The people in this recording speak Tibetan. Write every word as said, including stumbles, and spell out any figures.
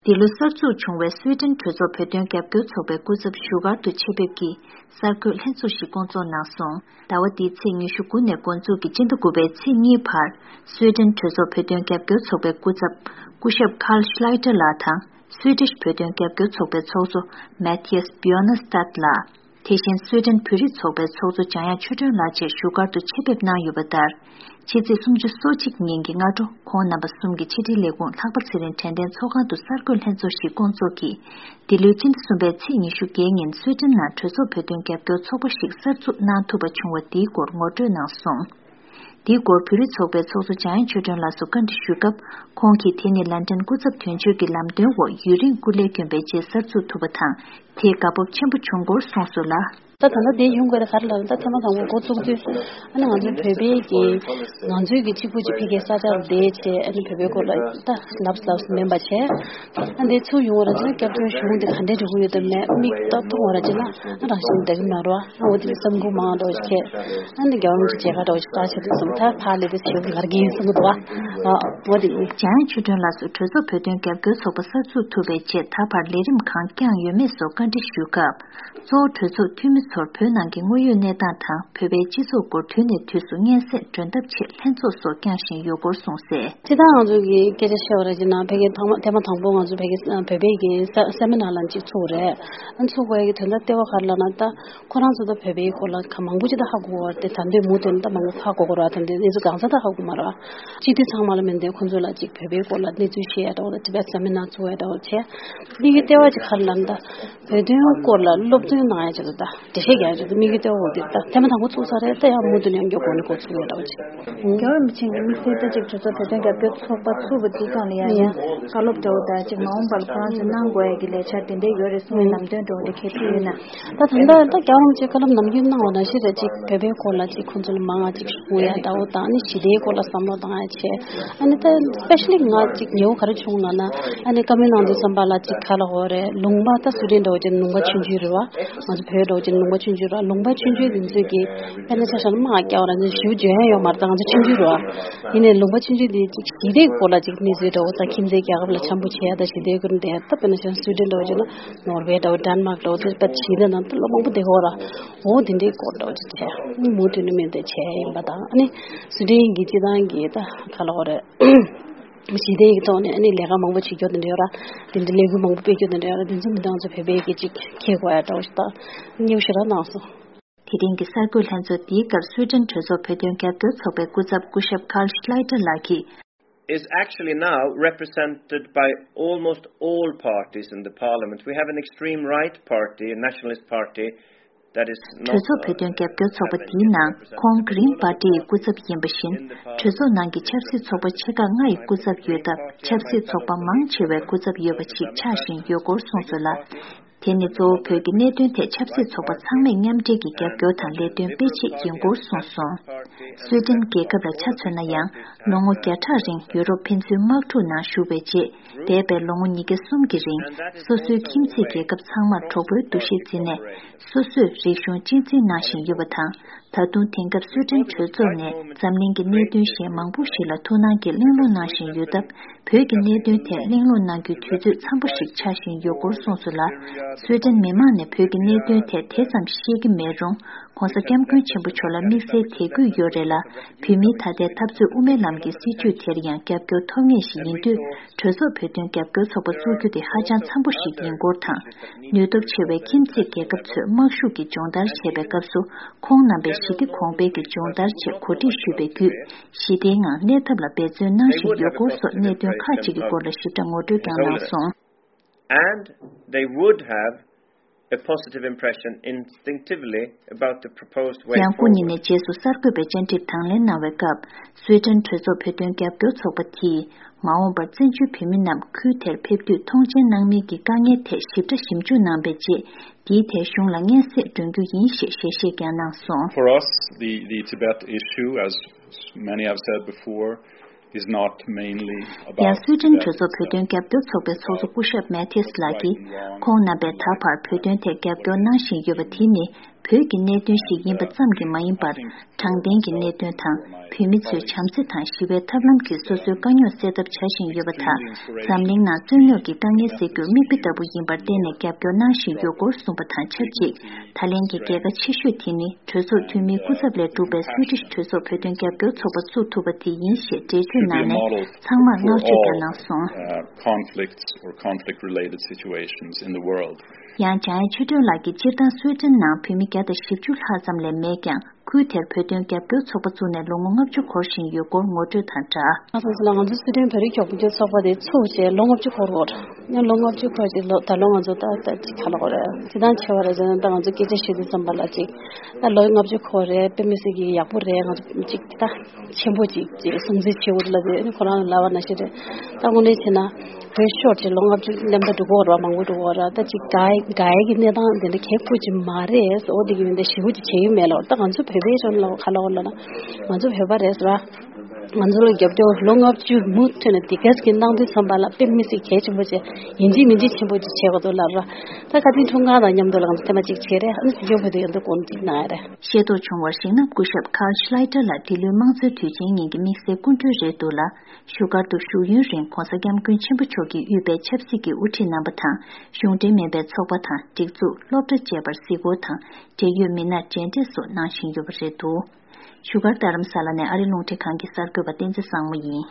འདི་ལོ་གསར་འཛུགས་བྱུང་བའི་སུའེ་ཏེན་གྲོས་ཚོགས་བོད་དོན་རྒྱབ་སྐྱོར་ཚོགས་པའི་སྐུ་ཚབ་བཞུགས་སྒར་དུ་ཆེད་ཕེབས་ཀྱིས་གསར་འགོད་ལྷན་ཚོགས་ཤིག་བསྐོང་ཚོགས་གནང་སོང་། ཟླ་བ་འདིའི་ཚེས་ཉི་ཤུ་དགུ་ནས་འགོ་འཛུགས་ཀྱིས་སྤྱི་ཟླ་དགུ་པའི་ཚེས་གཉིས་བར། སུའེ་ཏེན་གྲོས་ཚོགས་བོད་དོན་རྒྱབ་སྐྱོར་ཚོགས་པའི་སྐུ་ཚབ་སྐུ་ཞབས་Carl Schlyter་ལགས་དང་། སུའེ་ཏིཤ་བོད་དོན་རྒྱབ་སྐྱོར་ཚོགས་པའི་ཚོགས་གཙོ་Mattias Björnestad་ལགས། དེ་བཞིན་སུའེ་ཏེན་བོད་རིགས་ཚོགས་པའི་ཚོགས་གཙོ་འཇམ་དབྱངས་ཆོས་སྒྲོན་ལགས་བཅས་བཞུགས་སྒར་དུ་ཆེད་ཕེབས་གནང་ཡོད་པ་ལྟར། ཕྱི་ཚེས་སུམ་ཅུ་སོ་གཅིག་ཉིན་གྱི་སྔ་དྲོ་ཁོང་རྣམ་པ་གསུམ་གྱི་ཕྱི་དྲིལ་ལས་ཁུངས་ལྷག་པ་ཚེ་རིང་དྲན་རྟེན་ཚོགས་ཁང་དུ་གསར་འགོད་ལྷན་ཚོགས་ཤིག་བསྐོང་ཚོགས་ཀྱིས། འདི་ལོའི་སྤྱི་ཟླ་གསུམ་པའི་ཚེས་ཉི་ཤུ་བརྒྱད་ཉིན་སུའེ་ཏེན་ནང་གྲོས་ཚོགས་བོད་དོན་རྒྱབ་སྐྱོར་ཚོགས་པ་ཞིག་གསར་འཛུགས་གནང་ཐུབ་པ་བྱུང་བ་འདིའི་སྐོར་ངོ་སྤྲོད་གནང་སོང་། འདིའི་སྐོར་བོད་རིགས་ཚོགས་པའི་ཚོགས་གཙོ་འཇམ་དབྱངས་ཆོས་སྒྲོན་ལགས་སུ་བཀའ་འདྲི་ཞུས་སྐབས། ཁོང་གིས་དེ་ནི་ལན་ཀྲན་སྐུ་ཚབ་དོན་གཅོད་ཀྱི་ལམ་སྟོན་འོག་ཡུན་རིང་སྐུ་ལས་བསྐྱོན་པའི་རྗེས་གསར་འཛུགས་ཐུབ་པ་དང་། དེས་དགའ་སྤོབས་ཆེན་པོ་བྱུང་སྐོར་གསུངས་སོང་ལ། ད་ད་ལྟ་དེ་ཡོང་དགོས་རེད་ག་རེ་ལབ་ན། ད་ཐེངས་མ་དང་པོ་འགོ་བཙུགས་དུས་ཨ་ནི་ང་ཚོའི་བོད་པའི་གི་ང་ཚོའི་གི་གཅིག་པུ་གཅིག་ཕ་གིའི་ས་ཆར་བསྡད་བྱས། ཨ་ནི་བོད་པའི་སྐོར་ལ་ད་ལབ་ལབ་མིན་པ་བྱས། ཨ་འདི་ཚུར་ཡོང་བ་ར་ཅིག་ན་སྐྱབས་བཅོལ་གཞུང་འདི་ག་འདྲས་འགྲོ་གི་ཡོད་དམ་མེད་མིག་ཏོ་མཐོང་བ་ར་ཅིག་ན་ཨ་རང་བཞིན་འདྲ་གི་མ་རོ། ཨ་འོ་དེ་བསམ་གུ་མང་འགྲོ་ཞིག་ཁྱེད་ཨ་འདི་རྒྱལ་བ་རིན་པོ་ཆེ་མཇལ་ཁ་འགྲོ་ཞིག་ལྟ་བྱེད་དུས་སོང་། ད་ཕར་ལས་དེ་བྱེད་ག་ར་གིན་གསུང་གི་འདུག་བ། ཨ་འོ་དེ་ཡིན། འཇམ་དབྱངས་ཆོས་སྒྲོན་ལགས་སུ་གྲོས་ཚོགས་བོད་དོན་རྒྱབ་སྐྱོར་ཚོགས་པ་གསར་འཛུགས་ཐུབ་པའི་རྗེས་ད་བར་ལས་རིམ་གང་བསྐྱངས་ཡོད་མེད་སོགས་བཀའ་འདྲི་ཞུས་སྐབས། གཙོ་བོ་གྲོས་ཚོགས་འཐུས་མི་ཚོར་བོད་ནང་གི་དངོས་ཡོད་གནས་སྟངས་དང་བོད་པའི་སྤྱི་ཚོགས་སྐོར་དུས་ནས་དུས་སུ་སྙན་སེང་སྒྲོན་ཐབས་ཆེད་ལྷན་ཚོགས་སོགས་བསྐྱངས་བཞིན་ཡོད་སྐོར་གསུངས་གསལ། སྤྱིར་བཏང་ང་ཚོ་གི་སྐད་ཆ་བཤད་པ་ར་ཅིག་ན་ཕ་གི་ཐེངས་མ་ཐེངས་མ་དང་པོ་ང་ཚོ་ཕ་གི་བོད་པའི་གི་ས་སེ་མི་ནར་ལ་ཅིག་ཚུགས་རེད། ཨ་ཚུགས་པའི་གི་དོན་དག་ལྟེ་བ་ག་རེ་ལབ་ན། ད་ཁོ་རང་ཚོ་ད་བོད་པའི་སྐོར་ལ་ག་མང་པོ་ཅིག་ད་ཧ་གོ་བ་རེད། ད་འདོད་མུ་མཐུད་ནས་ད་མང་པོ་ཧ་གོ་གོ་ར། ད་འདི་གནས་ཚུལ་གང་ས་ད་ཧ་གོ་མ་ར། སྤྱི་འཐུས་ཚང་མ་ལ་མིན་ཏེ་ཁོ་ཚོ་ལ་ཅིག་བོད་པའི་སྐོར་ལ་གནས་ཚུལ་བཤད་ཡ་འདྲ་བོ་ད་ཊི་བེཊ་སེ་མི་ནར་ཚུགས་ཡ་འདྲ་བོ་བྱས། འདི་གི་ལྟེ་བ་ཅིག་ག་རེ་ལབ་ན། ད་བོད་དོན་སྐོར་ལ་སློབ་སྟོན་གནང་ཡ་ཆེད་དུ་ད་འགྲེལ་བཤད་རྒྱག་ཡ་ཆེད་དུ་དམིགས་ཡུལ་ལྟེ་བ་འོ་དེ་ད་ཐེངས་མ་དང་པོ་ཚུགས་ས་རེད། ད་ཡང་མུ་མཐུད་ནས་ཡང་མགྱོགས་གོང་ནས་འགོ་ཚུགས་ཡོད་འདྲ་བོ་ཅིག་རྒྱལ་བ་རིན་པོ་ཆེ་གི་དམིགས་བསལ་ད་ཅིག་གྲོས་ཚོགས་བོད་དོན་རྒྱབ་སྐྱོར་ཚོགས་པ་ཚུགས་པ་འདི་སྒང་ལ་ཡང་ཡང་བཀའ་སློབ་འདྲ་བོ་དང་ཅིག་མ་འོངས་པར་ཁོ་རང་ཚོས་གནང་དགོས་ཡ་གི་ལས་འཆར་དེ་འདྲ་ཡོད་རེད་གསུང་བའི་ལམ་སྟོན་འདྲ་བོ་འདི་གལ་ཆེ་ཡོད་ན། ད་ད་ལྟ་ད་རྒྱལ་བ་རིན་པོ་ཆེས་བཀའ་སློབ་ནམ་རྒྱུན་གནང་བ་ནང་བཞིན་རེད། ཅིག་བོད་པའི་སྐོར་ལ་ཅིག་ཁོང་ཚོ་ལ་མང་བ་ཅིག་གསུང་ཡ་འདྲ་བོ་དང་། ཨ་ནི་ཞི་བདེའི་སྐོར་ལ་བསམ་བློ་བཏང་ཡ་བྱས། ཨ་ནི་ད་སི་པེ་ཤ་ལི་ང་ཅིག་ཉེ་བོ་ག་རེ་བྱུང་ལབ་ན། ཨ་ནི་བཀའ་མོལ་གནང་དུས་ཙམ་པ་ལ་ཅིག་ག་ལ་འོ་རེད། ལུང་པ་ད་སུ་ཏན་འདྲ་བོ་ཅིག་ལུང་པ་ཆུང་ཆུང་རེད་བ། ང་ཚོ་བོད་འདྲ་བོ་ཅིག་ལུང་པ་ཆུང་ཆུང་རེད་བ། ལུང་པ་ཆུང་ཆུང་དེ་ཚོས་ཀྱི་དཔེར་ན་ཆ་བཞག་ན་དམག་རྒྱག་པ་ར་ཅིག་ཞེ་པོ་འཇོན་ཡ་ཡོད་མ་རེད། ད་ང་ཚོ་ཆུང་ཆུང་རེད་བ། ཡིན་ནའི་ལུང་པ་ཆུང་ཆུང་དེ་ཅིག་ཞི་བདེའི་སྐོར་ལ་ཅིག་གནས་ཚུལ་འདྲ་བོ་དང་ཁྱིམ་མཚེས་རྒྱལ་ཁབ་ལ་འཆམ་པོ་བྱེད་ཡ་དང་ཞི་བདེའི་སྐོར་འདི་ད་དཔེར་ན་ཆ་བཞག་ན་སུའི་ཏན་འདྲ་བོ་བྱས་ན་ནོར་ཝེ་འདྲ་བོ་ཌེན་མཱག་འདྲ་བོ་དེ་དཔེ་ཞི་བདེ་ནང་ད་ལོ་མང་པོ་བསྡད་ཀྱི་ཡོད་ར། འོ་དེ་འདྲའི་སྐོར་འདྲ་བོ་ཅིག་བྱས་མུ་མཐུད་ནས་མི་འདི་བྱས་ཡིན་པ་དང་། ཨ་ནི་སུའི་ཏན་གྱི་སྤྱི་བཏང་གི་ད་ག་ལ་འོ་རེད། ཞི་བདེ་ཡི་ཐོག་ནས་ཨ་ནི་ལས་ཀ་མང་པོ་བྱེད་རྒྱུ་དེ་འདྲ་ཡོད་ར། དེ་འདྲ་ལས་འགུལ་མང་པོ་སྤེལ་རྒྱུ་དེ་འདྲ་ཡོད་ར། དེ་ཚོ་མི་འདང་ཚོ་བོད་པའི་གི་ཅིག་ཁྱེད་གོ་ཡ་འདྲ་བོ་ཞིག་ད་སྙེའུ་ཞེ་དྲག་གནང་སོང་། དེ་རིང་གི་གསར་འགོད་ལྷན་ཚོགས་འདིའི་སྐབས་སུའི་ཏན་གྲོས་ཚོགས་བོད་དོན་རྒྱབ་སྐྱོར་ཚོགས་པའི་སྐུ་ཚབ་སྐུ་ཞབས་Carl Schlyter་ལགས་ཀྱིས། Is actually now represented by almost all parties in the parliament. We have an extreme right party, a nationalist party, that is not, གྲོས་ཚོགས་བོད་དོན་རྒྱབ་སྐྱོར་ཚོགས་པ་འདིའི་ནང་ཁོང་Green Party་ཡི་སྐུ་ཚབ་ཡིན་པ་བཞིན། གྲོས་ཚོགས་ནང་གི་ཆབ་སྲིད་ཚོགས་པ་ཆེ་ཁག་ལྔ་ཡི་སྐུ་ཚབ་ཡོད་སྟབས། ཆབ་སྲིད་ཚོགས་པ་མང་ཆེ་བའི་སྐུ་ཚབ་ཡོད་པ་ཞིག་ཆགས་བཞིན་ཡོད་སྐོར་གསུངས་སོང་ལ། དེ་ནི་གཙོ་བོ་བོད་ཀྱི་གནད་དོན་ཐད་ཆབ་སྲིད་ཚོགས་པ་ཚང་མས་མཉམ་འབྲེལ་གྱིས་རྒྱབ་སྐྱོར་དང་ལས་དོན་སྤེལ་ཆེད་ཡིན་སྐོར་གསུངས་སོང་། སུའེ་ཏེན་རྒྱལ་ཁབ་ལ་ཆ་མཚོན་ན་ཡང་། ལོ་ངོ་བརྒྱ་ཕྲག་རིང་ཡུ་རོབ་ཕན་ཚུན་དམག་འཁྲུག་ནང་ཞུགས་པའི་རྗེས། འདས་པའི་ལོ་ངོ་ཉིས་བརྒྱ་གསུམ་གྱི་རིང་། སོ་སོའི་ཁྱིམ་མཚེས་རྒྱལ་ཁབ་ཚང་མར་གྲོགས་པོའི་འདུ་ཤེས་འཛིན་ནས། སོ་སོས་རིག་གཞུང་གཅེས་འཛིན་གནང་བཞིན་ཡོད་པ་དང་། ད་དུང་དེང་སྐབས་སུའེ་ཏེན་གྲོས་ཚོགས་ནས་འཛམ་གླིང་གི་གནད་དོན་གཞན་མང་པོ་ཞིག་ལ་ཐུགས་སྣང་གིས་གླེང་སློང་གནང་བཞིན་ཡོད་སྟབས། བོད་ཀྱི་གནད་དོན་ཐད་གླེང་སློང་གནང་རྒྱུའི་དུས་ཚོད་འཚམ་པོ་ཞིག་ཆགས་བཞིན་ཡོད་སྐོར་གསུངས་སོང་ལ། སུའེ་ཏེན་མི་མང་ནས་བོད་ཀྱི་གནད་དོན་ཐད་དེ་ཙམ་ཤེས་ཀྱི་མེད་རུང་། ྋགོང་ས་ྋསྐྱབས་མགོན་ཆེན་པོ་མཆོག་ལ་དམིགས་བསལ་དད་གུས་ཡོད་རེད་ལ། བོད་མིའི་ད་ལྟའི་འཐབ་རྩོད་དབུ་མའི་ལམ་གྱི་སྲིད་བྱུས་དེར་ཡང་རྒྱབ་སྐྱོར་ཐོབ་ངེས་ཤིག་ཡིན་དུས། གྲོས་ཚོགས་བོད་དོན་རྒྱབ་སྐྱོར་ཚོགས་པ་བཙུགས་རྒྱུ་དེ་ཧ་ཅང་འཚམ་པོ་ཞིག་ཡིན་སྐོར་དང་། ནུས་སྟོབས་ཆེ་བའི་ཁྱིམ་མཚེས་རྒྱལ་ཁབ་ཚོས་དམག་ཤུགས་ཀྱིས་སྦྱོང་བརྡར་བྱས་པའི་སྐབས་སུ། ཁོང་རྣམ་པས་ཞི་བདེ་གོང་འཕེལ་གྱི་སྦྱོང་བརྡར་ཆེད་གོ་སྒྲིག་ཞུས་པའི་བརྒྱུད། ཞི་བདེའི་ངང་གནས་ཐབས་ལ་འབད་བརྩོན་གནང་བཞིན་ཡོད་སྐོར་སོགས་གནད་དོན་ཁག་ཅིག་གི་སྐོར་ལ་ཞིབ་ཕྲ་ངོ་སྤྲོད་ཀྱང་གནང་སོང་། And they would have a positive impression instinctively about the proposed way forward. ཡང་སྐུ་ཉིད་ནས་རྗེས་སུ་གསར་འགོད་པའི་བཅར་འདྲིར་དང་ལེན་གནང་བའི་སྐབས། སུའེ་ཏེན་གྲོས་ཚོགས་བོད་དོན་རྒྱབ་སྐྱོར་ཚོགས་པ་དེས། མ་འོངས་པར་བཙན་བྱོལ་བོད་མི་རྣམས་ཁུལ་དེར་ཕེབས་དུས་མཐོང་མཆན་གནང་མིན་གྱི་དཀའ་ངལ་ཐད་ཞིབ་ཕྲ་ཞིབ་འཇུག་གནང་པའི་རྗེས། འདིའི་ཐད་གཞུང་ལ་སྙན་སེང་སྒྲོན་རྒྱུ་ཡིན་ཞེས་ཞལ་བཞེས་ཀྱང་གནང་སོང་། For us, the, the Tibet issue, as many have said before, is not mainly about Tibet itself. ཡང་སུའེ་ཏེན་གྲོས་ཚོགས་བོད་དོན་རྒྱབ་སྐྱོར་ཚོགས་པའི་ཚོགས་གཙོ་སྐུ་ཞབས་Mattias་ལགས་ཀྱིས། ཁོང་རྣམ་པས་ད་བར་བོད་དོན་ཐད་རྒྱབ་སྐྱོར་གནང་བཞིན་ཡོད་པ་དེ་ནི། བོད་ཀྱི་གནད་དོན་ཞིག་ཡིན་པ་ཙམ་གྱིས་མ་ཡིན་པར། དྲང་བདེན་གྱི་གནད་དོན་དང་། བོད་མི་ཚོའི་བྱམས་བརྩེ་དང་ཞི་བའི་ཐབས་ལམ་གྱིས་སོ་སོའི་དཀའ་རྙོག་སེལ་ཐབས་བྱ་བཞིན་ཡོད་པ་དང་། འཛམ་གླིང་ནང་རྩོད་རྙོག་གི་དཀའ་ངལ་སེལ་རྒྱུར་མིག་དཔེ་ལྟ་བུ་ཡིན་པར་བརྟེན་ནས་རྒྱབ་སྐྱོར་གནང་བཞིན་ཡོད་སྐོར་གསུངས་པ་དང་ཆབས་ཅིག་ད་ལན་གྱི་རྒྱལ་ཁ་ཆེ་ཤོས་དེ་ནི། གྲོས་ཚོགས་འཐུས་མིའི་སྐུ་ཚབ་ལས་གྲུབ་པའི་སུའི་ཌིཤ་གྲོས་ཚོགས་བོད་དོན་རྒྱབ་སྐྱོར་ཚོགས་པ་བཙུགས་ཐུབ་པ་དེ་ཡིན་ཞེས་འགྲེལ་བརྗོད་གནང་ནས། ཚང་མར་བསྔགས་བརྗོད་ཀྱང་གནང་སོང་། Conflicts or conflict related situations in the world. ཡང་། འཇམ་དབྱངས་ཆོས་སྒྲོན་ལགས་ཀྱིས་སྤྱིར་བཏང་སུའེ་ཏེན་ནང་བོད་མི་བརྒྱ་དང་བཞི་བཅུ་ལྷག་ཙམ་ལས་མེད་ཀྱང་། ཁུལ་དེར་བོད་དོན་རྒྱབ་སྐྱོར་ཚོགས་པ་བཙུགས་ནས་ལོ་ངོ་ལྔ་བཅུ་འཁོར་བཞིན་ཡོད་སྐོར་ངོ་སྤྲོད་དང་སྦྲགས། ང་ཚོ་ཚོ་ལ་ང་ཚོ་སུའེ་ཏེན་བོད་རིགས་རྒྱབ་སྐྱོར་ཚོགས་པ་དེ་ཚུགས་བྱས་ལོ་ལྔ་བཅུ་འཁོར་བར། ཡང་ལོ་ལྔ་བཅུ་འཁོར་ཅིག་ལོ་ད་ལོ་ང་ཚོ་ད་ད་ཅིག་ག་ལ་གོ་རེད། ཅི་ཐང་ཆེ་བ་རེད་ཟེར་ན། ད་ང་ཚོ་སྐད་ཆ་བཤད་དུས་ཙམ་པ་ལ་ཅིག་ད་ལོ་ལྔ་བཅུ་འཁོར་རེད། དཔེ་མི་སྲིད་ཀྱི་ཡག་པོ་རེད། ང་ཚོ་ཅིག་ད་ཆེན་པོ་ཅིག་ཅིག་སྲུང་བརྩི་བྱེད་དགོས་ལ་ཟེར། ཁོ་རང་ལ་ལབ་པ་ནང་བཞིན་རེད། ད་དངོས་གནས་བྱས་ན། བོད་ཤོར་ཅིག་ལོ་ལྔ་བཅུ་ལམ་ད་འགྲོ་གོ་ར། མང་པོ་འགྲོ་གོ་ར། ད་ཅིག་ག་ག་གི་གནས་སྟངས་དེ་འདྲ་གལ་པོ་ཅིག་མ་རེད། འོ་དེ་གི་མི་འདི་ཞེ་པོ་ཅིག་བྱེད་ཡུལ་མེད་ལ། ད་ང་ཚོ་བོད་པའི་ཆོས་ལ་ག་ལ་འོ་ལ་ན། ང་ཚོ་བོད་པ་རེད་ཟེར་བ། ང་ཚོ་ལ་རྒྱབ་སྐྱོར་ལོ་ལྔ་བཅུ་མུ་མཐུད་ནས་དེ་གས་ཀྱི་གནང་དུས་ཙམ་པ་ལ་དཔེ་མི་སྲིད་གལ་ཆེན་པོ་ཅིག་ཡིན་གཅིག་མིན་གཅིག་ཆེན་པོ་ཅིག་བྱེད་དགོས་འདུག་ལབ་ར། ད་བཀའ་དྲིན་འཁྲུངས་ཁང་དང་མཉམ་དུ་ལ་ང་ཚོ་ཐེངས་མ་གཅིག་བྱས་རེད། ཨ་ནི་སྲིད་སྐྱོང་བོད་དུ་ཡོང་དུས་དགོངས་གཅིག་གནང་ཡ་རེད། ཤེས་རྟོགས་བྱུང་བར་གཞིགས་ན། སྐུ་ཞབས་Carl Schlyter ལགས་འདི་ལོའི་དམངས་གཙོའི་དུས་ཆེན་ཉིན་གྱི་དམིགས་བསལ་སྐུ་མགྲོན་རེད་འདུག་ལ། བཞུགས་སྒར་དུ་བཞུགས་ཡུན་རིང་༧གོང་ས་༧སྐྱབས་མགོན་ཆེན་པོ་མཆོག་གིས་དབུས་པའི་ཆབ་སྲིད་ཀྱི་དབུ་ཁྲིད་རྣམ་པ་དང་། གཞུང་འབྲེལ་མིན་པའི་ཚོགས་པ་དང་། སྒྲིག་འཛུགས། སློབ་གྲྭ་བཅས་པར་གཟིགས་སྐོར་དང་། འབྲེལ་ཡོད་མི་སྣར་མཇལ་འཕྲད་སོགས་གནང་བཞིན་ཡོད་པ་རེད་འདུག་བཞུགས་སྒར་རྡ་རམ་ས་ལ་ནས་ཨ་རི་རླུང་འཕྲིན་ཁང་གི་གསར་འགོད་པ་བསྟན་འཛིན་བཟང་མོ་ཡིན།